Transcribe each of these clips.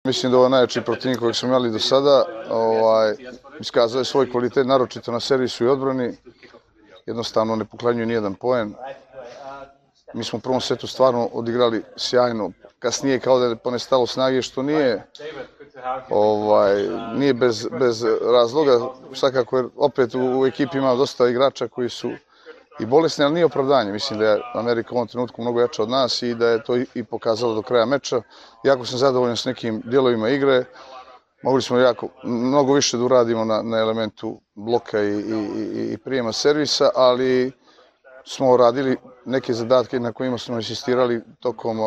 Mislim da ovo je najjači protivnik kojeg smo imali do sada. Iskazao je svoj kvalitet, naročito na servisu i odbrani. Jednostavno ne poklanjuje nijedan poen. Mi smo u prvom setu stvarno odigrali sjajno. Kasnije kao da je ponestalo snage, što nije bez razloga. Svakako, jer opet u ekipi ima dosta igrača koji su i bolesni, ali nije opravdanje. Mislim da je Amerika u ovom trenutku mnogo jača od nas i da je to i pokazalo do kraja meča. Jako sam zadovoljan s nekim dijelovima igre. Mogli smo mnogo više da uradimo na elementu bloka i prijema servisa, ali smo radili neke zadatke na kojima smo insistirali tokom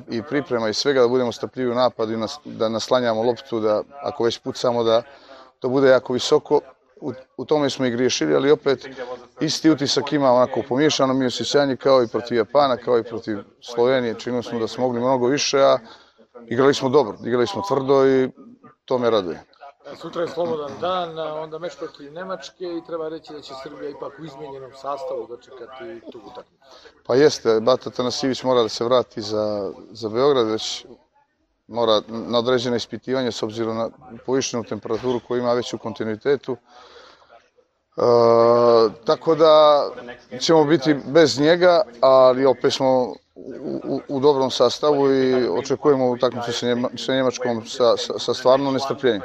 i priprema i svega, da budemo strpljivi u napadu i da naslanjamo loptu, da ako već pucamo da to bude jako visoko. U tome smo i griješili, ali opet isti utisak ima onako pomiješano mi osjećanje kao i protiv Japana, kao i protiv Slovenije. Činili smo da smo mogli mnogo više, a igrali smo dobro, igrali smo tvrdo i to me raduje. Sutra je slobodan dan, onda meč protiv Nemačke i treba reći da će Srbija ipak u izmijenjenom sastavu dočekati tu utakmicu. Pa jeste, Bata Tanasivić mora da se vrati za Beograd, već mora na određene ispitivanje s obzirom na povišenu temperaturu koju ima već u kontinuitetu. Tako da ćemo biti bez njega, ali opet smo u dobrom sastavu i očekujemo utakmicu sa Njemačkom sa stvarno nestrpljenjem.